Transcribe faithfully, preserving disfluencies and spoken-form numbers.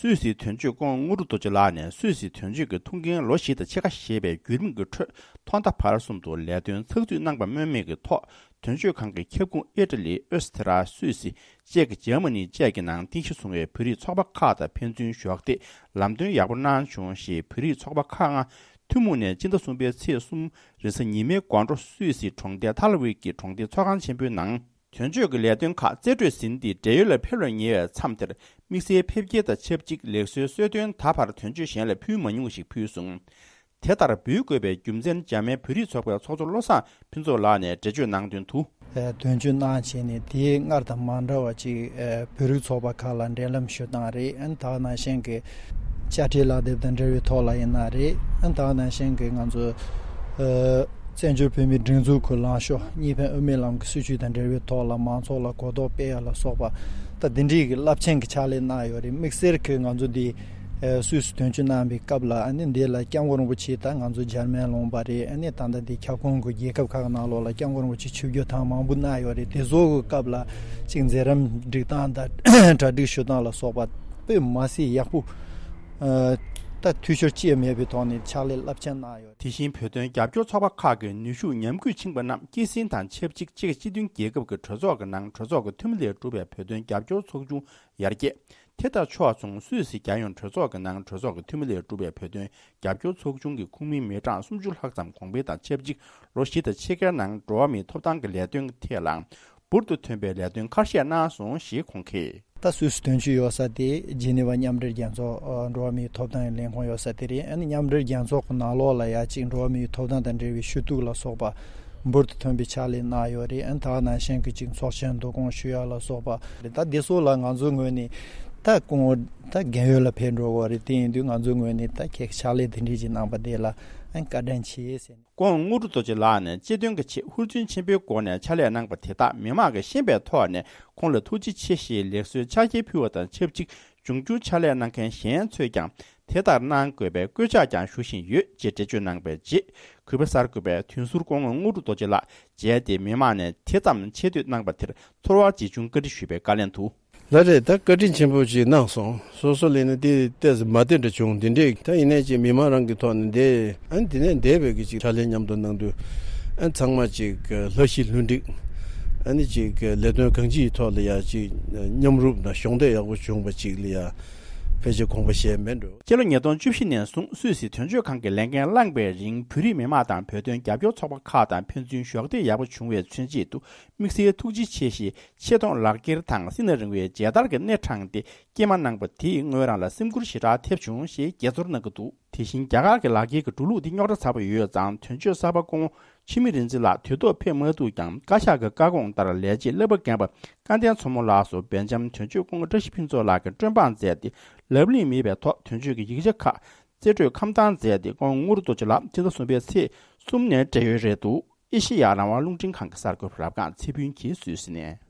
སུད་སིའི་དོན་གཅོད་སྐུ་ངོ་དངོས་གྲུབ་རྡོ་རྗེ་ལགས་ནས་སུད་སིའི་དོན་གཅོད་ཀྱི་ཐུགས་འགན་ལོ་བཞི་དང་ཕྱེད་ཀ་ཞེས་པའི་བརྒྱུད་རིམ་གྱི་ཁྲོད། ཐོག་མཐའ་བར་གསུམ་དུ་ལས་དོན་ཚགས་ཚུད་གནང་པ་སྨོས་མེད་ཀྱི་ཐོག་དོན་གཅོད་ཁང་གི་ཁྱབ་ཁོངས་ཨི་ཊ་ལི། ཨོ་སི་ཐི་ར། སུད་སི། ཅེཀ། འཇར་མ་ནི་བཅས་ཀྱི་ནང་རྟེན་གཞི་བཟུང་བའི་བོད་རིགས་ཚོགས་པ་ཁག་དང་ཕན་ཚུན་གཞོགས་འདེགས་ལམ་སྟོན་ཡག་པོ་གནང་བྱུང་ཞེས། བོད་རིགས་ཚོགས་པ་ཁག་ལྔ་ཐུན་མོང་ནས་སྤྱི་ཟླ་གསུམ་པའི་ཚེས་གསུམ་རེས་གཟའ་ཉི་མའི་དགོང་དྲོ་སུད་སི་གྲོང་རྡལ་ཐ་ལ་ཝི་ཀི་གྲོང་སྡེའི་ཚོགས་ཁང་ཆེན་པོའི་ནང་། དོན་གཅོད་ཀྱི་ལས་དོན་ཁག་རྩིས་སྤྲོད་ཟིན་ཏེ་བགྲེས་ཡོལ་ལ་ཕེབས་ལ་ཉེ་བའི་མཚམས་དེར། དམིགས་བསལ་ཕེབས་སྐྱེལ་དང་ཆབས་ཅིག་ལེགས་གསོའི་གསོལ་སྟོན་ད་བར་དོན་གཅོད་གཞན་ལ་ཕུལ་མ་མྱོང་ཞིག་ཕུལ་སོང་། དེ་ལྟར་འབུལ་དགོས་པའི་རྒྱུ་མཚན། འཇར་མན་བོད་རིགས་ཚོགས་པའི་ཚོགས་གཙོ་བློ་བཟང་ཕུན་ཚོགས་ལགས་ནས་འགྲེལ་བརྗོད་གནང་དོན་དུ། དོན་གཅོད་གནང་བྱས་ནས་དེའི་སྔར་དང་མ་འདྲ་བ་ཅིག་བོད་རིགས་ཚོགས་པ་ཁག་ལ་འབྲེལ་ལམ་ཞུ་སྟངས་རེད། ཨ་ནི་ད་ག་ནང་བཞིན་གྱི་དཔྱ་ཁྲལ་ལག་དེབ་དང་འབྲེལ་བའི་ཐོག་ལ་ཡིན་ན་རེད། ཨ་ནི་ད་ག་ནང་བཞིན་གྱི་ང་ཚོ་བཙན་བྱོལ་བོད་མིའི་སྒྲིག་འཛུགས་ཀྱི་ལངས་ཕྱོགས་གཉིས་ཕན་དབུ་མའི་ལམ་གྱི་སྲིད་བྱུས་དང་འབྲེལ་བའི་ཐོག་ལ་མང་ཚོགས་ལ་གོ་རྟོགས་སྤེལ་ཡ་ལ་སོགས་པ། ད་འདི་འདྲའི་གི་རླབས་ཆེན་གྱི་ཕྱག་ལས་གནང་ཡོད་རེད། དམིགས་བསལ་གྱི་ང་ཚོ་འདི་སུད་སི་དོན་གཅོད་གནང་བའི་སྐབས་ལ། ཨ་ནི་འདི་ལ་སྐྱབས་མགོན་རིན་པོ་ཆེ་ད་ང་ཚོ་འཇར་མན་ལུང་པ་རེད། ཨ་ནི་ད་ལྟ་འདི་ཁྱབ་ཁོངས་ཀྱི་རྒྱལ་ཁབ་ཁག་ནང་ལོགས་ལ་སྐྱབས་མགོན་རིན་པོ་ཆེ་ཆིབས་བསྒྱུར་ཐེངས་མང་པོ་གནང་ཡོད་རེད། དེ་ཚོ་གི་སྐབས་ལ་ཅིག་མཛད་རིམ་སྒྲིག་སྟངས་དང་གྲ་སྒྲིག་ཞུ་སྟངས་ལ་སོགས་པ་དཔེ་མ་སྲིད་ཡག་པོ། ད་འཐུས་ཤོར་ཅི་ཡང་མེད་པའི་ཐོག་ནས་ཕྱག་ལས་རླབས་ཆེན་གནང་ཡོད། དེ་བཞིན་བོད་དོན་རྒྱབ་སྐྱོར་ཚོགས་པ་ཁག་གི་ནུས་ཤུགས་ཉམས་རྒུད་ཕྱིན་པ་རྣམས་སྐྱེད་སྲིང་དང་ཆབས་ཅིག་ཅེཀ་སྤྱི་མཐུན་རྒྱལ་ཁབ་ཀྱི་གྲོས་ཚོགས་ཀྱི་ནང་གྲོས་ཚོགས་ཀྱི་འཐུས་མི་ལས་གྲུབ་པའི་བོད་དོན་རྒྱབ་སྐྱོར་ཚོགས་ཆུང་ཡར་རྒྱས། དེ་དང་ཕྱོགས་མཚུངས་སུད་སི་རྒྱལ་ཡོངས་གྲོས་ཚོགས་ཀྱི་ནང་གྲོས་ཚོགས་ཀྱི་འཐུས་མི་ལས་གྲུབ་པའི་བོད་དོན་རྒྱབ་སྐྱོར་ཚོགས་ཆུང་གི་ཁོངས་མི་མི་གྲངས་སུམ་ཅུ་ལྷག་ཙམ་གོང་འཕེལ་དང་ཆབས་ཅིག་ལོ་བཞི་དང་ཕྱེད་ཀའི་ནང་འགྲོ་བ་མིའི་ཐོབ་ཐང་གི་ལས་དོན་ཐད་ལ་འབུར་དུ་ཐོན་པའི་ལས་དོན་ཁ་ཤས་གནང་སོང་ཞེས་ཁོང་གིས། ད་སུད་སི་དོན་གཅོད་ཡོད་ས་དེ་ཇི་ནི་ཝ་མཉམ་འབྲེལ་རྒྱལ་ཚོགས་འགྲོ་བ་མིའི་ཐོབ་ཐང་ལས་ཁུངས་ཡོད་ས་དེ་རེད། ཨ་ནི་མཉམ་འབྲེལ་རྒྱལ་ཚོགས་ཀྱི་ནང་ལོགས་ལ་ཡ་གཅིག་འགྲོ་བ་མིའི་ཐོབ་ཐང་དང་འབྲེལ་བའི་ཞུ་གཏུག་ལ་སོགས་པ་འབུར་དུ་ཐོན་པའི་ཕྱག་ལས་གནང་ཡོད་རེད། ཨ་ནི་ད་ག་ནང་བཞིན་གྱི་ཅིག་ཚོགས་ཆེན་བསྡུ་སྐོང་ཞུ་ཡ་ལ་སོགས་པ་རེད། ད་འདི་ཚོ་ལ་ང་ཚོའི་ངོས་ནས་ད་སྐུ་ངོ་ད་རྒན་ཡོལ་ལ་ཕེབས་འགྲོ་གི་རེད། དེ་ཡིན་དུས་ང་ཚོའི་ངོས་ནས་ད་ཁྱེད་ཕྱག་ལས་དེ་འདྲས་ཅིག་གནང་པ་དེ་ལ་ཨ་ནི་བཀའ་དྲིན་ཆེ་ཟེར་ནས། སྐུ་ངོ་དངོས་གྲུབ་རྡོ་རྗེ་ལགས་ནས་སྤྱི་དོན་གྱི་ཆེད་ཧུར་བརྩོན་ཆེན་པོའི་སྒོ་ནས་ཕྱག་ལས་གནང་པ་དེ་དག་མི་མང་གིས་ཤེས་པའི་ཐོག་ནས་ཁོང་ལ་ཐུགས་རྗེ་ཆེ་ཞེས་ལེགས་གསོལ་ཕྱག་འཁྱེར་ཕུལ་བ་དང་ཆབས་ཅིག་འབྱུང་འགྱུར་ཕྱག་ལས་གནང་མཁན་གཞན་ཚོས་ཀྱང་དེ་ལྟར་གནང་དགོས་པའི་སྐུལ་ལྕག་ཀྱང་ཞུ་བཞིན་ཡོད་ཅེས་འགྲེལ་བརྗོད་གནང་བའི་རྗེས། གུས་པ་གསར་འགོད་པས་དོན་ཟུར་སྐུ་ངོ་དངོས་གྲུབ་རྡོ་རྗེ་ལགས་མཇལ་ཏེ་མི་མང་ནས་དེ་ཙམ་ཆེ་བསྟོད་གནང་པ་དེར་ཚོར་བ་ཇི་བྱུང་བཀའ་འདྲི་ཞུས་པའི་བཀའ་ལན་དུ། ལགས་རེད། ད་བཀའ་དྲིན་ཆེན་པོ་ཅིག་གནང་སོང་། སོ་སོ་ལས་ནི་དེ་ཏོག་ཙམ་མ་བདེ་འདྲ་བྱུང་། དེ་འདྲས་ད་ཡིན་ནའི་ཅིག་མི་མང་རང་གི་ཐོག་ནས་འདས། ཨ་ནི་དེ་ནས་འདས་པའི་གི་ཅིག་ཕྱག་ལས་མཉམ་དུ་གནང་དུས་ཨ་ནི་ཚང་མ་ཅིག་ལྷ་ཞི་ལྷུན་འགྲིག་ཨ་ནི་ཅིག་ལས་དོན་གང་ཅིའི་ཐོག་ལ་ཡ་ཅིག་མཉམ་རུབ་དང་གཞོགས་འདེགས་ཡག་པོ་བྱུང་བ་ཅིག་ལ་ཡ་ཕལ་ཆེར་དགོངས་པ་བཞེས་མེད་འགྲོ། སྤྱི་ལོ་ཉིས་སྟོང་བཅུ་བཞི་ནས་བཟུང་སུད་སི་དོན་གཅོད་ཁང་གི་ལས་འགན་བླངས་པའི་རིང་བོད་རིགས་མི་མང་དང་བོད་དོན་རྒྱབ་སྐྱོར་ཚོགས་པ་ཁག་དང་ཕན་ཚུན་གཞོགས་འདེགས་ཡག་པོ་བྱུང་བའི་མཚོན་བྱེད་དུ། དམིགས་བསལ་ཐུགས་རྗེ་ཆེ་ཞེས་ཆེ་མཐོང་ལག་འཁྱེར་དང་སྲིད་ན་རིང་བའི་མཇལ་དར་གྱི་སྣེ་དྲངས་ཏེ་སྐྱེལ་མ་གནང་པ་དེས་ངོས་རང་ལ་སེམས་འགུལ་ཞེ་དྲག་ཐེབས་བྱུང་ཞེས་དགྱེས་ཚོར་གནང་གི་འདུག་དེ་བཞིན་རྒྱ་གར་གྱི་ལག་འཁྱེར་གྱི་འགྲོ་ལུགས་འདི་རྙོག་དྲ་ཚ་པོ་ཡོད་ཙང་། དོན་གཅོད་གསར་པ་སྐུ་ངོ་འཆི་མེད་རིག་འཛིན་ལགས་དུས་ཐོག་ཕེབས་མ་ཐུབ་ཀྱང་། བཀའ་ཤག་གི་བཀའ་དགོངས་ལྟར་ལས་བྱེད་བསླབ་པ་རྒན་པ་སྐལ་ལྡན་མཚོ་མོ་ལགས་སུ་སྦེལ་ཇམ་དོན་གཅོད་སྐུ་ངོ་བཀྲ་ཤིས་ཕུན་ཚོགས་ལགས་ཀྱིས་སྤྲོད་འབངས་མཛད་དེ། ལབ་གླེང་མེད་པའི་ཐོག་དོན་གཅོད་ཀྱི་ཡིག་ཆ་ཁག་རྩིས་སྤྲོད་ཁམས་དྭངས་མཛད་དེ། སྐུ་ངོ་དངོས་གྲུབ་རྡོ་རྗེ་ལགས་སྤྱི་ཟླ་གསུམ་པའི་ཚེས་གསུམ་ནས་བགྲེས་ཡོལ་རེད་འདུག་ཨེ་ཤེ་ཡ་རང་དབང་རླུང་འཕྲིན་ཁང་གི་གསར་འགོད་པ་རབ་སྒང་ཚེ་ཕུན་གྱིས་སུད་སི་ནས།